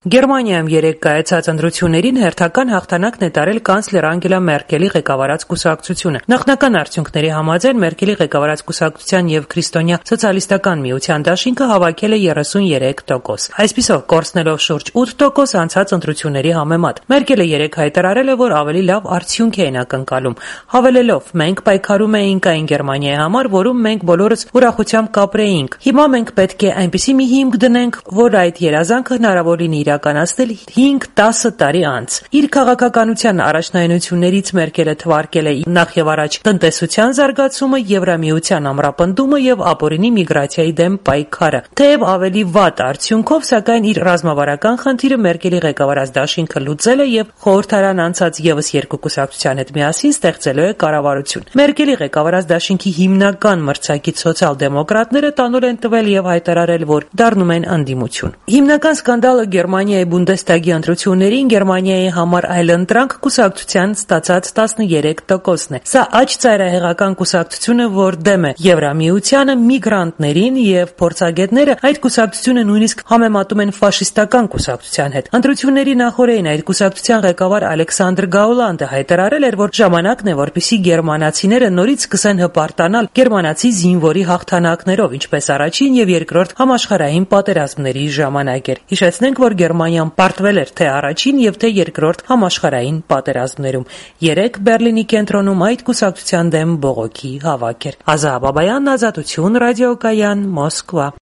Գերմանիայում երեկ կայացած ընտրություններին հերթական հաղթանակ նետարել կանցլեր Անգելա Մերկելի ղեկավարած կուսակցությունը։ Նախնական արդյունքների համաձայն Մերկելի ղեկավարած կուսակցության եւ Քրիստոնյա սոցիալիստական միության դաշինքը հավաքել է 33%։ Այսպիսով կորցնելով շուրջ 8% անցած ընտրությունների համեմատ։ Մերկելը երեկ հայտարարել է, որ ավելի լավ արդյունք էին ակնկալում, հավելելով. «Մենք պայքարում էինք այն Գերմանիայի համար, որում մենք բոլորս ուրախությամբ կապրեինք։ Հիմա մենք պետք է այնպիսի մի հիմք դնենք, որ այդ երազանքը հնարավոր լինի իրականացնել 5-10 տարի անց»։ Իր քաղաքականության առաջնայնություններից Մերկելը թվարկել է նախևառաջ տնտեսության զարգացումը, Եվրամիության ամրապնդումը եւ ապօրինի միգրացիայի դեմ պայքարը։ Թեև ավելի վատ արդյունքով, սակայն իր ռազմավարական խնդիրը Մերկելի ղեկավարած դաշինքը լուծել է եւ խորհրդարան անցած եւս երկու կուսակցության հետ միասին ստեղծելու է կառավարություն։ Մերկելի ղեկավարած դաշինքի հիմնական մրցակից սոցիալ-դեմոկրատները տանուլ են տվել եւ հայտարարել, որ դառնում են ընդդիմություն։ Հիմնական սկանդալը Գերմանիայի Բունդեսթագի ընտրություններին Գերմանիայի համար այլընտրանք կուսակցության ստացած 13%-ն է։ Սա աջ ծայրահեղական կուսակցությունը, որ դեմ է Եվրամիությանը, միգրանտներին եւ փորձագետները այդ կուսակցությունը նույնիսկ համեմատում են ֆաշիստական կուսակցության հետ։ Ընտրությունների նախօրեին այդ կուսակցության ղեկավար Ալեքսանդր Գաուլանդը հայտարարել էր, որ ժամանակն է, որպեսզի գերմանացիները նորից սկսեն հպարտանալ գերմանացի զինվորի հաղթանակներով, ինչպես առաջին եւ երկրորդ համաշխարհային պատերազմների ժամանակ էր։ Հիշեցնենք, որ Գերմանիան պարտվել էր թե առաջին եւ թե երկրորդ համաշխարհային պատերազմներում։ Երեկ Բերլինի կենտրոնում այդ կուսակցության դեմ բողոքի հավաք էր։ Ազա Բաբայան, Ազատություն, ռադիոկայան, Մոսկվա։